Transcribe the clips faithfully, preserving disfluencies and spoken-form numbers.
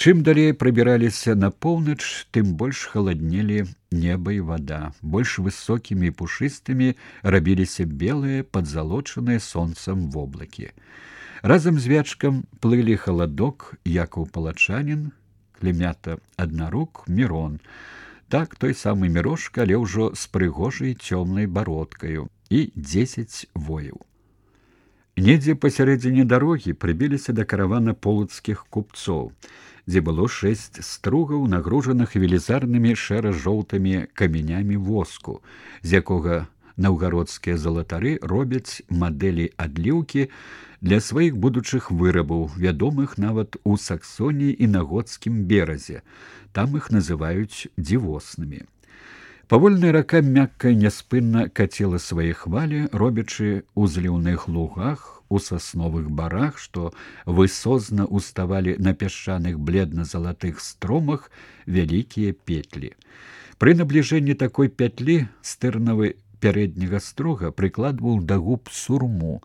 Чым далей прабіраліся на поўнач, тым больш халаднелі неба і вада, больш высокімі і пушыстымі рабіліся белыя, падзалочаныя сонцам воблакі. Разам з Вячкам плылі халадок, Якаў Палачанін, Клемята Аднарук, Мірон. Так, той самы Мірошка, але ўжо з прыгожай цёмнай бародкаю, і дзесяць вояў. Недзе пасярэдзіне дарогі прыбіліся да каравана полацкіх купцоў, дзе было шэсць стругаў, нагружаных велізарнымі шэра-жоўтымі камянямі воску, з якога наўгародскія залатары робяць мадэлі адліўкі для сваіх будучых вырабаў, вядомых нават у Саксоніі і на Готскім беразе. Там іх называюць дзівоснымі. Павольная рака мякка і няспынна кацела свае хвалі, робячы ў зліўных лугах, у сасновых барах, што высозна уставалі на пясчаных бледна-залатых стромах вялікія петлі. Пры набліжэнні такой пятлі стырнавы пярэдняга строга прыкладваў да губ сурму,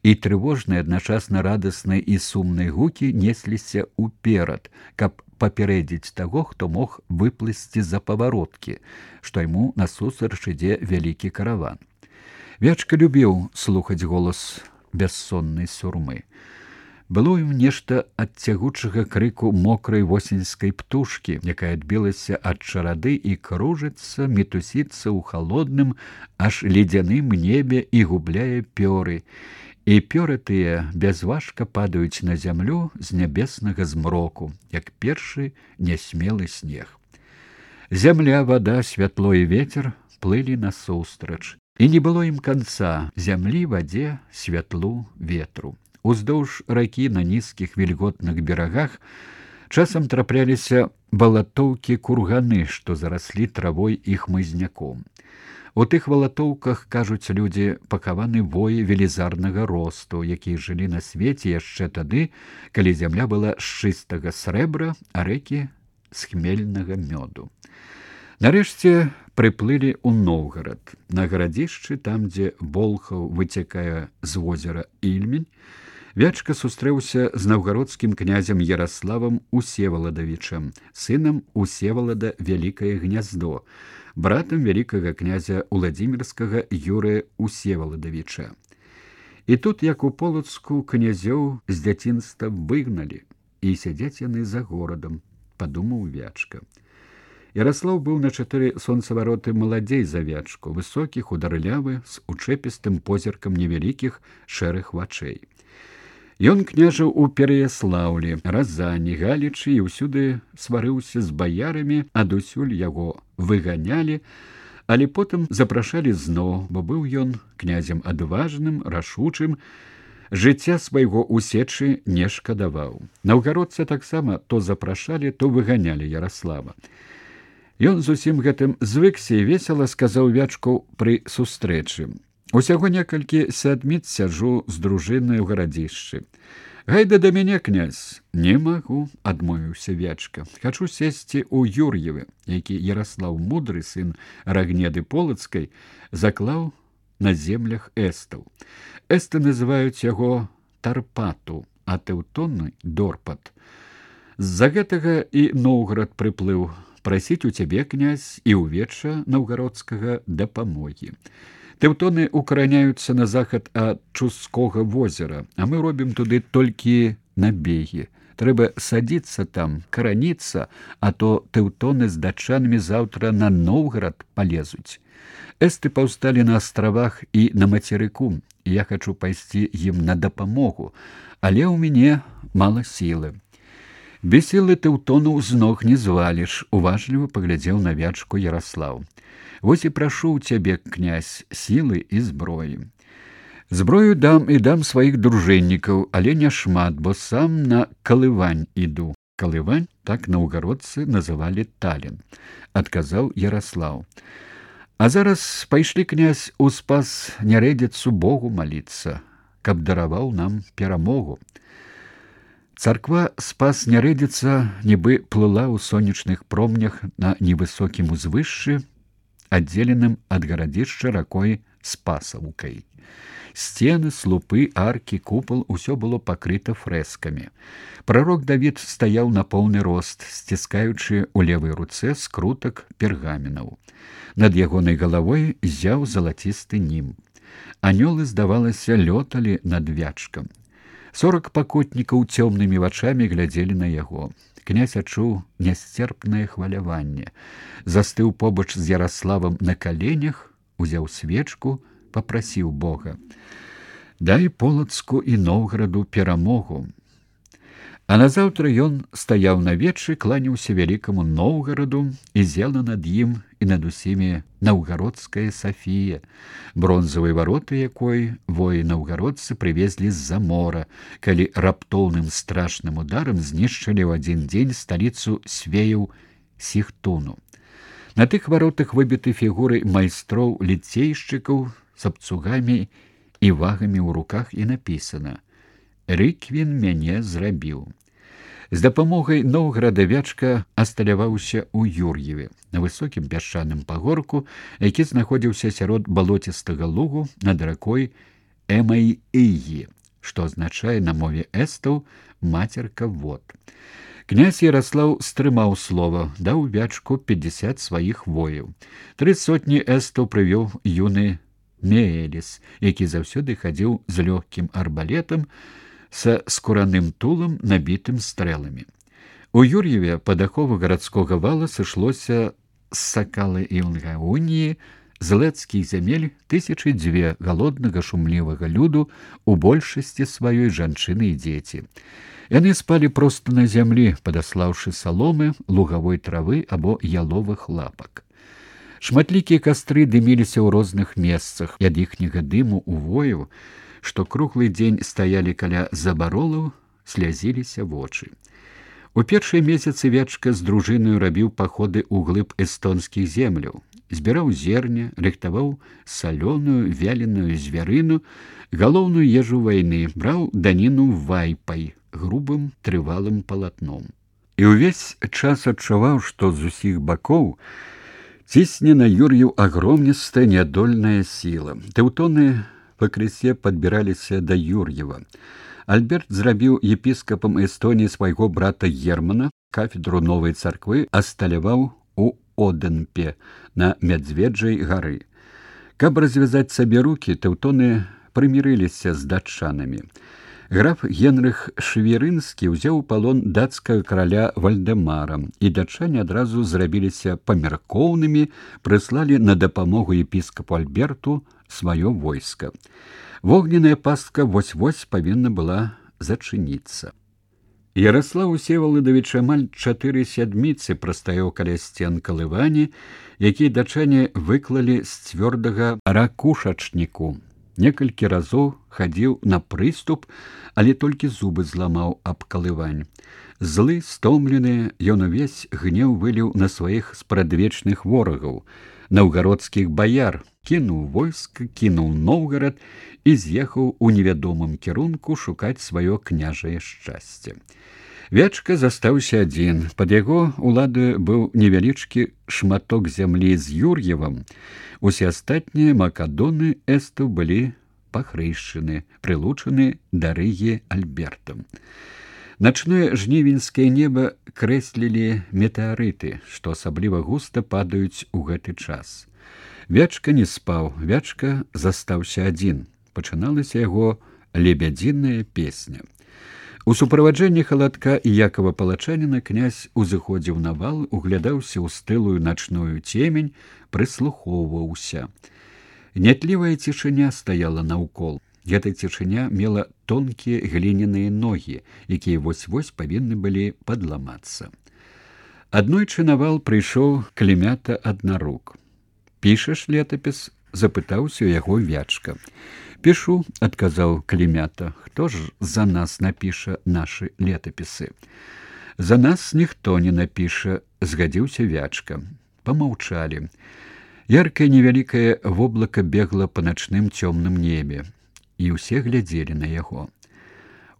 і трывожныя, адначасна радасныя і сумныя гукі несліся ўперад, каб папярэдзіць таго, хто мог выплысці за павароткі, што яму насустрач ідзе вялікі караван. Вячка любіў слухаць голас бяссоннай сурмы. Было ім нешта ад цягучага крыку мокрай восеньскай птушкі, якая адбілася ад чарады і кружыцца, мітусіцца ў халодным, аж ледзяным небе і губляе пёры. І пёры тыя бязважка падаюць на зямлю з нябеснага змроку, як першы нясмелы снег. Зямля, вада, святло і ветер плылі насустрач. І не было ім канца зямлі, вадзе, святлу, ветру. Уздоўж ракі на нізкіх вільготных берагах часам трапляліся балатоўкі-курганы, што зараслі травой і хмызняком. У тых валатоўках, кажуць людзі, пахаваны воі велізарнага росту, якія жылі на свеце яшчэ тады, калі зямля была з чыстага срэбра, а рэкі з хмельнага мёду. Нарэшце прыплылі ў Новгарад. На гарадзішчы, там, дзе Болхаў выцякае з возера Ільмень, Вячка сустрэўся з наўгародскім князем Яраславам Усеваладавічам, сынам Усевалада Вялікае Гняздо, братам вялікага князя Уладзімірскага Юрыя Усеваладавіча. І тут, як у Полацку, князёў з дзяцінства выгналі, і сядзяць яны за горадам, падумаў Вячка. Яраслаў быў на чатыры сонцавароты маладзей за Вячку, высокі, хударлявы, з учэпістым позіркам невялікіх шэрых вачэй. Ён княжыў у Пераяслаўлі, Разані, Галічы і ўсюды сварыўся з баярамі, адусюль яго выганялі, але потым запрашалі зноў, бо быў ён князем адважным, рашучым, жыцця свайго ў сечы не шкадаваў. Наўгародцы таксама то запрашалі, то выганялі Яраслава. Ён зусім гэтым звыкся і весела сказаў Вячку пры сустрэчы: «Усяго некалькі сядміц сяджу з дружынай у гарадзішчы. Гайда да мяне, князь». «Не магу», — адмовіўся Вячка. «Хачу сесці ў Юр'евы», які Яраслаў мудры, сын Рагнеды Полацкай, заклаў на землях эстаў. Эсты называюць яго Тарпату, а тэўтоны — Дорпат. З-за гэтага і Новгарад прыплыў прасіць у цябе, князь, і ў веча наўгародскага дапамогі. Тэўтоны укараняюцца на захад ад Чускога возера, а мы робім туды толькі набегі. Трэба садзіцца там, караніцца, а то тэўтоны з датчанамі заўтра на Новгарад палезуць. Эсты паўсталі на астравах і на мацерыку, і я хачу пайсці ім на дапамогу, але ў мяне мала сілы». «Без сілы тэўтонаў з ног не зваліш», — уважліва паглядзеў на Вячку Яраслаў. «Вось і прашу ў цябе, князь, сілы і зброі. Зброю дам і дам сваіх дружыннікаў, але не шмат, бо сам на Калывань іду». «Калывань» — так наўгародцы называлі Талін, — адказаў Яраслаў. «А зараз пайшлі, князь, у Спас Нярэдзіцу Богу маліцца, каб дараваў нам перамогу». Царква Спас Нярэдзіца нібы плыла ў сонечных промнях на невысокім узвышшы, аддзеленым ад гарадзішча ракой Спасаўкай. Сцены, слупы, аркі, купал усё было пакрыта фрэскамі. Прарок Давід стаяў на поўны рост, сціскаючы ў левай руцэ скрутак пергаменаў. Над ягонай галавой зяў залацісты німб. Анёлы, здавалася, лёталі над вячкам. Сорак пакутнікаў цёмнымі вачамі глядзелі на яго. Князь адчуў нясцерпнае хваляванне. Застыў побач з Яраславам на каленях, узяў свечку, папрасіў Бога: «Дай Полацку і Новгараду перамогу». А назаўтра ён стаяў на вечы, кланяўся вялікаму Новгараду, і зела над ім і над усімі наўгародская Сафія, бронзавыя вароты якой воі-наўгародцы прывезлі з-за мора, калі раптоўным страшным ударам знішчылі ў адзін дзень сталіцу свеяў Сіхтуну. На тых варотах выбіты фігуры майстроў ліцейшчыкаў з абцугамі і вагамі ў руках, і напісана: «Рыквін мяне зрабіў». З дапамогай Новграда вячка асталяваўся ў Юр'еве, на высокім пясчаным пагорку, які знаходзіўся сярод балоцістага лугу над ракой Эмай-Ігі, што азначае на мове эстаў «мацерка вод». Князь Яраслаў стрымаў слова, даў вячку пятьдесят сваіх вояў. Тры сотні эстаў прывёў юны Меэліс, які заўсёды хадзіў з лёгкім арбалетам са скураным тулам, набітым стрэламі. У Юр'еве пад ахову гарадскога вала сышлося з Сакалы і Лгауніі, з лэцкіх зямель тысячы дзве галоднага шумлівага люду, у большасці сваёй жанчыны і дзеці. Яны спалі проста на зямлі, падаслаўшы саломы, лугавой травы або яловых лапак. Шматлікія кастры дыміліся ў розных месцах, і ад іхняга дыму ў вояў, што круглы дзень стаялі каля забаролаў, слязіліся вочы. У першыя месяцы вячка з дружынаю рабіў паходы ў глыб эстонскіх земляў, збіраў зерня, рыхтаваў салёную, вяленую звярыну, галоўную ежу вайны, браў даніну вайпай, грубым трывалым палатном. І ўвесь час адчуваў, што з усіх бакоў цісне на Юр'еў агромністая нядольная сіла. Тэўтоны пакрысе падбіраліся да Юр'ева. Альберт зрабіў епіскапам Эстоніі свайго брата Германа, кафедру новай царквы асталяваў у Оденпе на Мядзведжай гары. Каб развязаць сабе рукі, тэўтоны прымірыліся з датчанамі. Граф Генрых Шверынскі ўзяў у палон дацкага караля Вальдэмара, і датчане адразу зрабіліся памяркоўнымі, прыслалі на дапамогу епіскапу Альберту сваё войска. Вогненная пастка вось-вось павінна была зачыніцца. Яраслаў Всеваладавіч амаль чатыры сядміцы прастаяў каля сцен калывані, якія датчане выклалі з цвёрдага ракушачніку. Некалькі разоў хадзіў на прыступ, але толькі зубы зламаў аб калывань. Злы, стомлены, ён увесь гнеў выліў на сваіх спрадвечных ворагаў, наўгародскіх баяр, кінуў войска, кінуў Новгарад і з'ехаў у невядомым кірунку шукаць сваё княжае шчасце. Вячка застаўся адзін. Пад яго уладаю быў невялічкі шматок зямлі з Юр'евам. Усе астатнія макадоны эстаў былі пахрышчаны, прылучаны да Рыгі Альбертам. Начное жнівеньскае неба крэслілі метэарыты, што асабліва густа падаюць у гэты час. Вячка не спаў, вячка застаўся адзін. Пачыналася яго лебядзіная песня. У суправаджэнні халадка і Якова Палачаніна князь узыходзіў на вал, углядаўся ў стылую начную цемень, прыслухоўваўся. Нятлівая цішыня стаяла наўкол. Гэта цішыня мела тонкія гліняныя ногі, якія вось-вось павінны былі падламацца. Аднойчы на вал прыйшоў Клімята Аднарук. «Пішаш летапіс?» – запытаўся ў яго вячка. «Пішу», — адказаў Клімята. «Хто ж за нас напіша нашы летапісы?» «За нас ніхто не напіша», — згадзіўся вячка. Памаўчалі. Яркае невялікае воблака бегла па начным цёмным небе, і ўсе глядзелі на яго.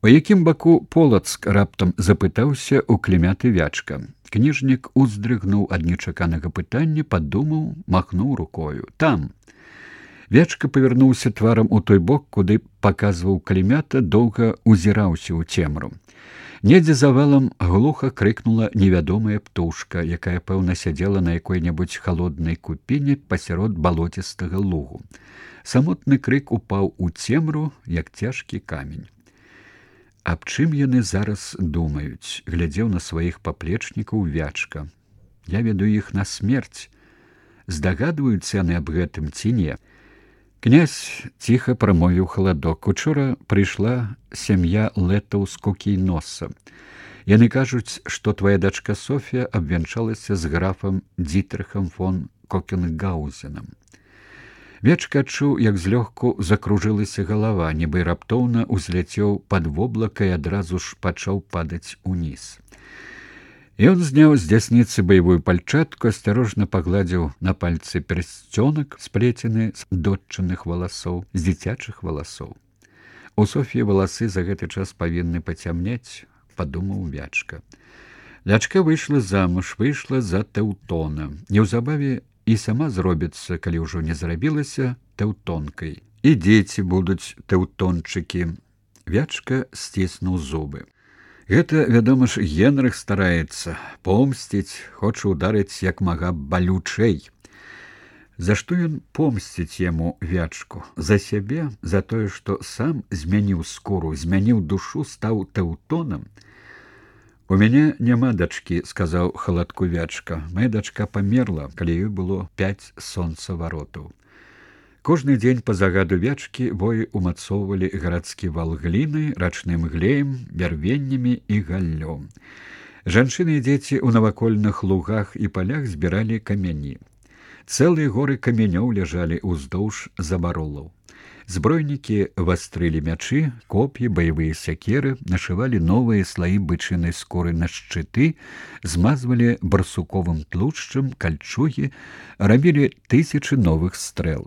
У якім баку Полацк раптам запытаўся ў Клімяты Вячка. Кніжнік уздрыгнуў ад нечаканага пытання, падумаў, махнуў рукою. Там. Вячка павярнуўся тварам у той бок, куды паказваў Клімята, доўга узіраўся ў цемру. Недзе за валам глуха крыкнула невядомая птушка, якая, пэўна, сядзела на якой-небудзь халоднай купіне пасярод балоцістага лугу. Самотны крык упаў у цемру, як цяжкі камень. Аб чым яны зараз думаюць, глядзеў на сваіх паплечнікаў Вячка. Я веду іх на смерць. Здагадваюцца яны аб гэтым ці не? Князь ціха прамовіў халадок. Учора прыйшла сям'я лэтаў з Кукійноса. Яны кажуць, што твая дачка Софія абвянчалася з графам Дзітрыхам фон Кокенгаузенам. Вячка адчуў, як злёгку закружылася галава, нібы раптоўна ўзляцеў пад воблака і адразу ж пачаў падаць уніз. Ён зняў з дзясніцы баявую пальчатку, асцярожна пагладзіў на пальцы персцёнак, сплецены з доччаных валасоў, з дзіцячых валасоў. У Софіі валасы за гэты час павінны пацямнець, падумаў Вячка. Дачка выйшла замуж, выйшла за Тэўтона. Неўзабаве і сама зробіцца, калі ўжо не зрабілася, тэўтонкай. І дзеці будуць тэўтончыкі. Вячка сціснуў зубы. Гэта, вядома ж, Генрых стараецца помсціць, хоча ударыць як мага балючэй. За што ён помсціць яму Вячку? За сябе, за тое, што сам змяніў скуру, змяніў душу, стаў тэўтонам? У мяне няма дачкі, сказаў халадку Вячка. Мая дачка памерла, калі ёй было пяць сонцаваротаў. Кожны дзень па загаду Вячкі воі умацоўвалі гарадскі вал глінай, рачным глеем, бярвеннямі і галлём. Жанчыны і дзеці ў навакольных лугах і палях збіралі камяні. Цэлыя горы камянёў ляжалі ўздоўж забаролаў. Збройнікі вастрылі мячы, коп'і, баявыя сякеры, нашывалі новыя слаі бычынай скуры на шчыты, змазвалі барсуковым тлушчам кальчугі, рабілі тысячы новых стрэл.